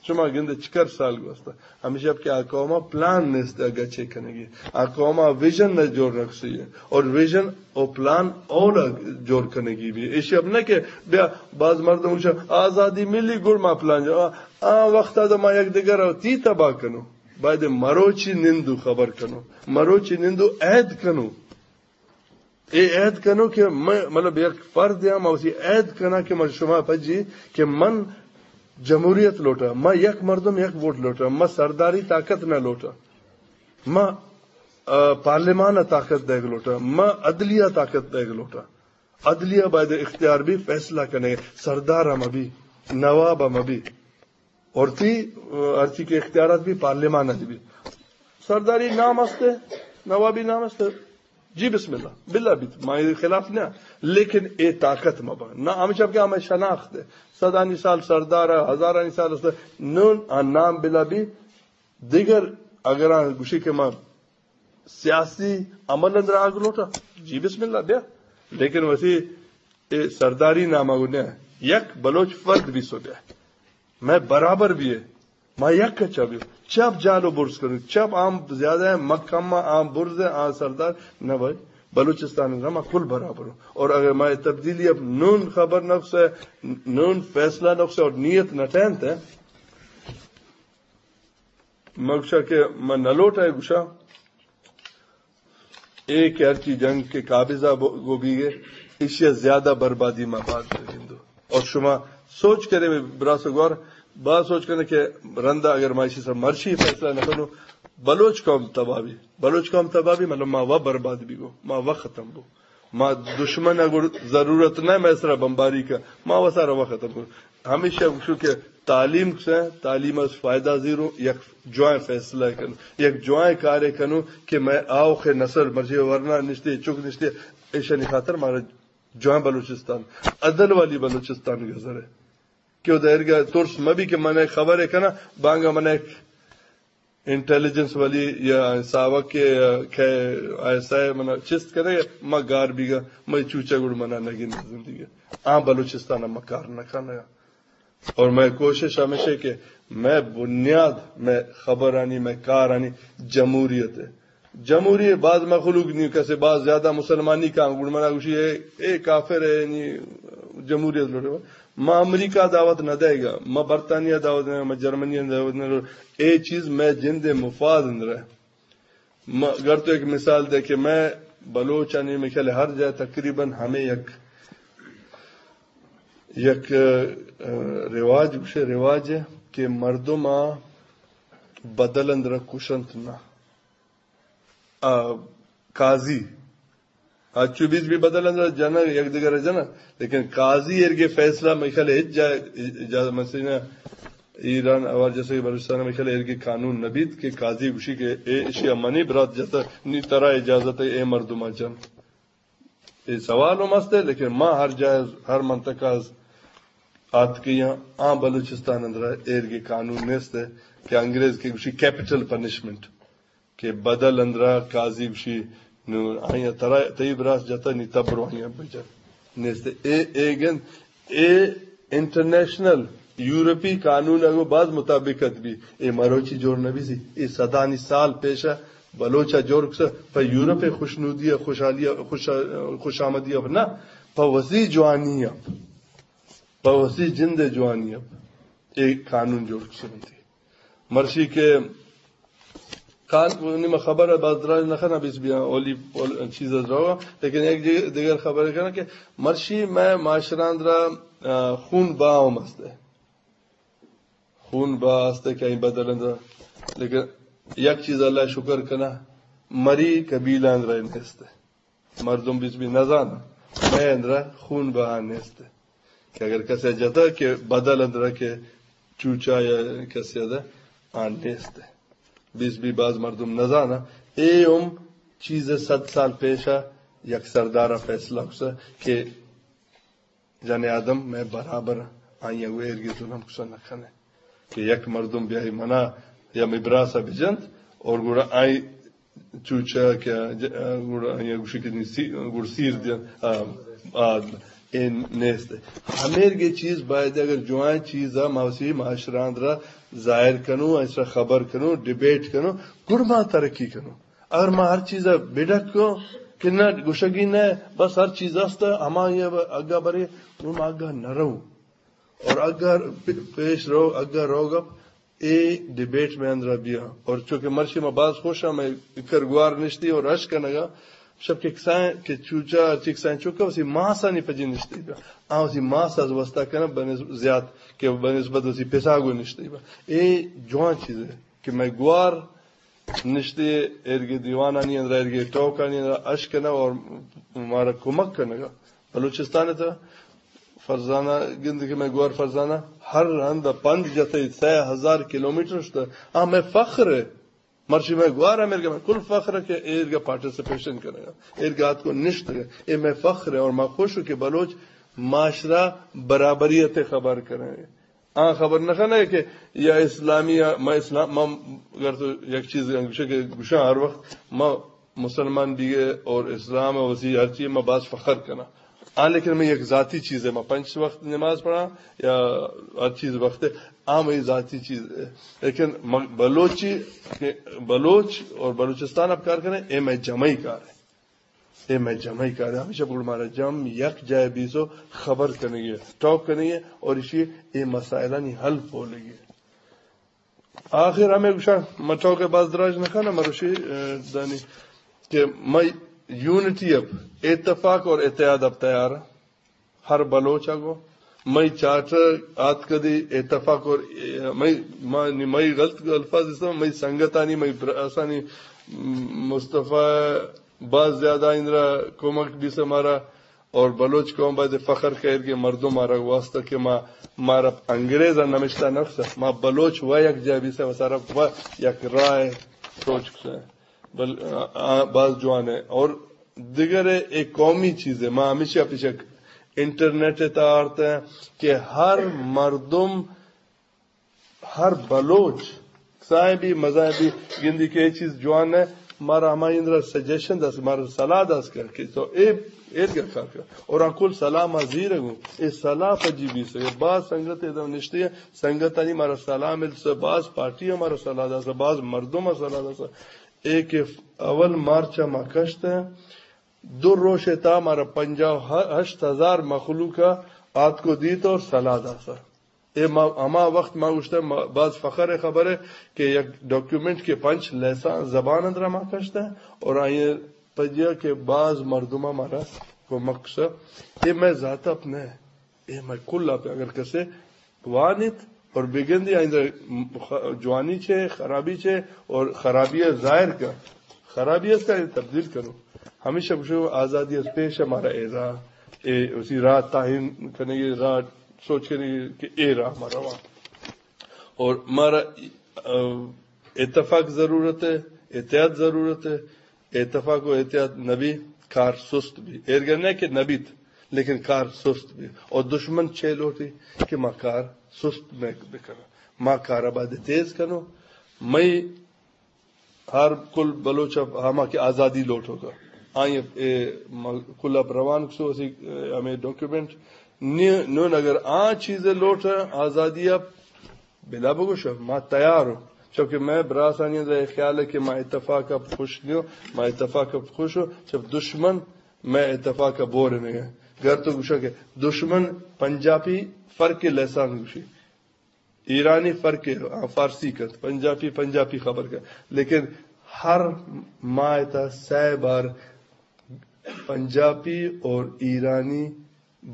شما گندے چکر سال گوستا۔ ہمیشہ کہ آ قوم ء پلان نیست ء گچے کنگی۔ آ قوم ء ویژن نہ جوڑ رکھسی ہے۔ اور ویژن او پلان اولا جوڑ کنگی بھی۔ ایشی اب نہ کہ بیا باز مردم گوشا آزادی ملی گڑ ما پلان جا-، آ، آ وقت ء ما یک دگر ء تی تباہ کنو۔ باید مروچی نندو خبر کنو۔ مروچی نندو عہد کنو۔ اے عہد کنو کہ من، مطلب، یک فرد ہاں، من اسی عہد کناں کہ من شما پجی کہ من جمہوریت لوٹاں، من یک مردم یک ووٹ لوٹاں، من سرداری طاقت نہ لوٹاں، من، آ، پارلیمان ء طاقت دیگ لوٹاں، من عدلیہ طاقت دیگ لوٹاں۔ عدلیہ باید اختیار بھی فیصلہ کنے، سردار ہم بھی، نواب ہم بھی۔ اور تی، آ، ہرچی کہ اختیارات بھی پارلیمان ء بھی۔ سرداری نام است، نوابی نام است۔ جی بسم اللہ، بلا بیت، ما اے خلاف نہ، لیکن اے طاقت مبا۔ نہ ہمیشہ کہ ہمیں شناخت ہے۔ صدانی سال سردار ہے، ہزارانی سال است۔ نون آ نام بلا بی، دیگر اگر آ گوشی کہ ما سیاسی عمل اندر آگ لوٹا، جی بسم اللہ بیا۔ لیکن وسی اے سرداری نامہ گو نہ، یک بلوچ فرد بھی سو بیا۔ میں برابر بھی ہے۔ ما یک چا بھی۔ چپ جال و برز کرو۔ چپ عام زیادہ ہے، مکم عام برز ہے، عام سردار۔ نہ بھائی، بلوچستان میں ما کل برابر ہوں۔ اور اگر ما تبدیلی اب نون خبر نقص ہے، نون فیصلہ نقص ہے اور نیت نہ ٹہنت ہے، مگشا کہ من نہ لوٹا ہے گشا، اے کہ ہرچی جنگ کہ قابضہ ب-، گو بیگے، ایشی ء زیادہ بربادی ما باز گندو۔ اور شما سوچ کرے براس گوار، باز سوچ کرے کہ رندا اگر ما ایشی سر مرشی فیصلہ نہ کنو، بلوچ قوم تباہ بی، بلوچ قوم تباہ بی، مطلب ما و برباد بی گو، ما و ختم بو۔ ما دشمن ء گڑ ضرورت نہ مئے سرا بمباری کا، ما وسارا وقت ختم کن۔ ہمیشہ گوشو کہ تعلیم سے، تعلیم از فائدہ زیرو، یک جوائیں فیصلہ کنو، یک جوائیں کارے کنو کہ مئے آوخ نسل مرچی ورنا نشتے، چک نشتے، ایشانی خاطر مارا جوائیں بلوچستان، عدل والی بلوچستان گزرے۔ کہ او دہرگا ترس مبی کہ من خبرے کنا، بانگا من انٹیلیجنس والی یا ساوک یا کہ آئی ایس آئی منا چست کرے، ما گار بیگا، مئی چوچا گڑ منا نگن زندگی۔ آ بلوچستان ما کار نہ کنگا۔ اور مئے کوشش ہمیش اے کہ مئے بنیاد، مئے خبرانی، مئے کارانی جمہوریت اے۔ جمہوری باز مخلوق نی، کسے باز زیادہ مسلمانی کاں گڑ منا گوشی اے، اے کافر اے، یعنی جمہوریت لوٹے۔ ما امریکہ دعوت نہ دئیگا، ما برطانیہ دعوت نہ، ما جرمنی دعوت نہ۔ اے چیز مئے جند مفاد اندر اے۔ ما، اگر تو ایک مثال دے کہ مئے بلوچانی مئے خیال ہر جا تقریباً ہمیں یک، یک، آ، رواج، گوشے رواج اے کہ مردم آ بدل اندر کشنت نہ۔ آ، قاضی، آ چو بیس بھی بدل اندر جنگ، یک دگر جنگ، لیکن قاضی ایرگے فیصلہ مئے خیال ہچ جا، جا، مثلاً ایران اور جیسے کہ بلوچستان مئے خیال ایرگے قانون نبیت کہ قاضی گوشی کہ اے اشی منی برات جتا نی ترا اجازت اے، اے مردم جن۔ اے سوال ہم است اے، لیکن ما ہر جا، ہر منطقہ از آتکیاں، آ بلوچستان اندر ایرگے قانون نیست اے کہ انگریز کہ گوشی کیپٹل پنشمنٹ۔ کہ بدل اندرا قاضی گوشی، نو آیا ترا، تئی براس جتا نی تبرو آیا بجن۔ نیست اے، اے گند، اے انٹرنیشنل یورپی قانون اگو باز مطابقت بی، اے مروچی جوڑ نبی سی، اے صدانی سال پیشا بلوچا جوڑ کسا، پہ یورپ خوشنودی، خوشحالی، خوش، خوش آمدی اب نہ، پہ وسی جوانی اب، پہ وسی جند جوانی اب، اے قانون جوڑ کسا بنتی۔ مرشی کہ کان، نی ما خبر ءَ باز دراج نہ کناں، بیس بیاں اولی، اول چیز ءَ درو، لیکن یک جی-، دگر خبر کناں کہ مرشی مئے معاشرہ اندرا، آ، خون با ہم است اے۔ خون با است اے کہ آئی بدل اندرا۔ لیکن یک چیز اللہ شکر کناں، مری قبیلہ اندرا نیست اے۔ مردم بیس بی نزاناں، مئے اندرا خون بہا نیست کہ اگر کسے جتا کہ بدل اندرا کہ چوچا یا کسے دا آن نیست۔ بیس بی باز مردم نزاناں، اے ہم چیز صد سال پیشا یک سردارا فیصلہ کسا کہ جن آدم مئے برابر، آئی ءَ ایرگے ظلم کسا نہ کنے کہ یک مردم بیائی منا یا مئے براسا بجنت اور گڑا آئی چوچا کہ ج-، گڑا آئی گوشی کہ نی سی-، گڑ سیر دیاں، آ، آ، اے نیست۔ ہمیرگے چیز باید اگر جوان چیز ما وسی معاشرہ اندرا ظاہر کنوں، اس را خبر کنوں، ڈیبیٹ کنوں، گڑ ما ترقی کنوں۔ اگر ما ہر چیز ءَ بڈک کو کہ نہ گوشگی نہ، بس ہر چیز است، ہما یہ اگا برے، نو ما اگا نہ رو۔ اور اگا پ-، پیش رو، اگا روگا اے ڈیبیٹ مئے اندرا بیا۔ اور چونکہ مرشی ما باز خوش ہم، مئے اکر گوار نشتی اور اش کنگا، شپ کہ کسائیں کہ چوچا، ہرچی کسائیں چوکا، اسی ماسانی پجی نشتی بیا۔ آ اسی ماس از وستا کنہ بنس-، زیات کہ بنسبت اسی پساگو نشتی بیا۔ اے جوان چیز اے کہ مئے گوار نشتے ایرگے دیوانانی اندرا، ایرگے ٹوکانی اندرا اش کنہ اور مارا کمک کنگا۔ بلوچستان تا فرزانہ گند کہ مئے گوار فرزانہ ہر ہند پند جتے سئے ہزار کلومیٹر شتہ۔ آ مئے فخر اے۔ مرشی مئے گوار امیرگا مئے کل فخر اے کہ ایرگا پارٹیسپیشن کنگا، ایرگا آتکو نشتگا۔ اے مئے فخر اے اور ما خوش اوں کہ بلوچ معاشرہ برابریت خبر کنگا۔ آ خبر نہ کنہ کہ یا اسلامی، ما اسلام، ما اگر تو یک چیز گوشے کہ گوشاں ہر وقت ما مسلمان بیگے اور اسلام وسی ہر چیز ما باز فخر کناں۔ آ لیکن مئے یک ذاتی چیز اے، ما پنچ وقت نماز پڑھاں یا ہر چیز وقت اے، آ مئے ذاتی چیز اے۔ لیکن م-، بلوچی کہ بلوچ اور بلوچستان اب کار کنے، اے مئے جمعی کار اے۔ اے مئے جمعی کار اے۔ ہمیشہ بگڑ مارا جم یک جائے بیسو خبر کنگی اے، ٹاک کنگی اے اور اسی اے مسائلانی حل پولگی اے۔ آخر ہمے گوشاں، من ٹاک ءَ باز دراج نہ کناں، مروشی، اے، دانی کہ مئے یونٹی اب اتفاق اور اتحاد اب تیار اے۔ ہر بلوچ ءَ گو مئے چارٹر آتکدی اتفاق اور، اے، مئے، ما-، نی مئے غلط الفاظ استعمال، مئے سنگتانی، مئے براسانی، م-، مصطفی باز زیادہ اندرا کمک بیسہ مارا۔ اور بلوچ قوم باید فخر کئے کہ مردم مارا واسطہ کہ ما، مارا انگریز نمشتہ نفس، ما بلوچ و یک جا بیسہ و سارا و یک رائے سوچ کسہ۔ بل-، آ، آ، باز جوان اے۔ اور دگر اے قومی چیز اے، ما ہمیشہ پیچھے انٹرنیٹ تا آرت اے کہ ہر مردم ہر بلوچ، کسائیں بی، مزائیں بی، گندی کہ اے چیز جوان اے، مارا ہما اندرا سجیشن داس، مارا صلاح داس کر کہ تو اے، اے دگہ کار کر۔ اور آ کل صلاح ما زیر گوں۔ اے صلاح پجی بیس۔ اے باز سنگت ادا نشتے ہیں، سنگتانی مارا صلاح مل سے، باز پارٹی مارا صلاح داس، باز مردم صلاح داس۔ اے کہ اول مارچ ما کشت ہے، دو روش تا مارا پنجاہ ہشت ہزار مخلوق آت کو دیت اور صلاح داس۔ اے ما، ہما وقت ما گوشتہ، ما، باز فخر خبر ہے کہ یک ڈاکیومنٹ کے پنچ لسان زبان اندرا ما کشتہ اور آئیے پجیا کہ باز مردمہ مارا کمک سا۔ اے میں ذات اپنے، اے میں کل آپ اگر کسے وانیت اور بگندی آئندہ خ-، جوانی چے، خرابی چے اور خرابی ظاہر کا، خرابی اس کا تبدیل کرو۔ ہمیشہ بشو آزادی از پیش ہمارا اے راہ، اے اسی راہ تعین کرنے کی راہ سوچ کر کہ اے راہ ہمارا وہاں اور مارا، آ، اتفاق ضرورت ہے، اتحاد ضرورت ہے۔ اتفاق و اتحاد نبی، کار سست بھی۔ ایرگا نہ کہ نبیت، لیکن کار سست بھی۔ اور دشمن چے لوٹی کہ ما کار سست میں بکناں۔ ما کار آباد تیز کنو۔ مئی ہر کل بلوچ ء ہما کہ آزادی لوٹوکا، آئی ء اے م-، کل ء روان کسو اسی، اے، ہمیں ڈاکیومنٹ نی-، نون اگر آ چیز لوٹ آزادی ء بلا بگوش، ما تیار ہوں۔ چونکہ میں براسانی اندر اے خیال ہے کہ ما اتفاق ء خوش نیو، ما اتفاق ء خوش ہوں، جب دشمن میں اتفاق ء بور نہیں ہے۔ گر تو گوشا کہ دشمن پنجابی فرق لسان گوشی۔ ایرانی فرق ہے، آ، فارسی کرت، پنجابی، پنجابی خبر کرت۔ لیکن ہر ماہ تا سہ بار پنجابی اور ایرانی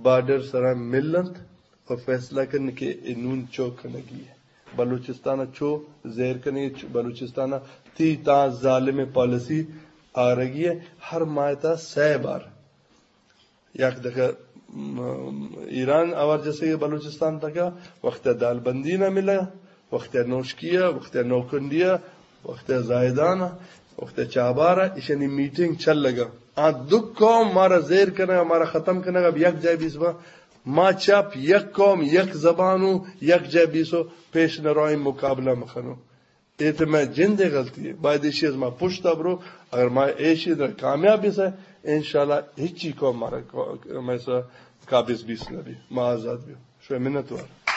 بارڈر سرا ملنت اور فیصلہ کرن کہ اے نون چو کنگی ہے۔ بلوچستان چو زیر کنگی، چو-، بلوچستان تی تا ظالم پالیسی آرگی ہے۔ ہر ماہ تا سہ بار یک دفعہ، م-، ایران آوار جیسے کہ بلوچستان تکا وقت دال بندی نہ ملا، وقت نوشکیا، وقت نوکنڈیا، وقت زاہدانا، وقت چابارا، ایشانی میٹنگ چل لگا۔ آ دو قوم مارا زیر کنگا، مارا ختم کنگا، اب یک جائے بیس با، ما چپ یک قوم، یک زبانو، یک جائے بیسو، پیش نہ روئیں مقابلہ مخنو۔ اے تو میں جندے غلطی ہے۔ باید ایشی از ما پشت برو، اگر ما ایشی در کامیاب بیسے، انشاءاللہ ہچی قوم مارا کو-، میں سا قابض بیس نبی، ما آزاد بیو۔ شوئے منت وار۔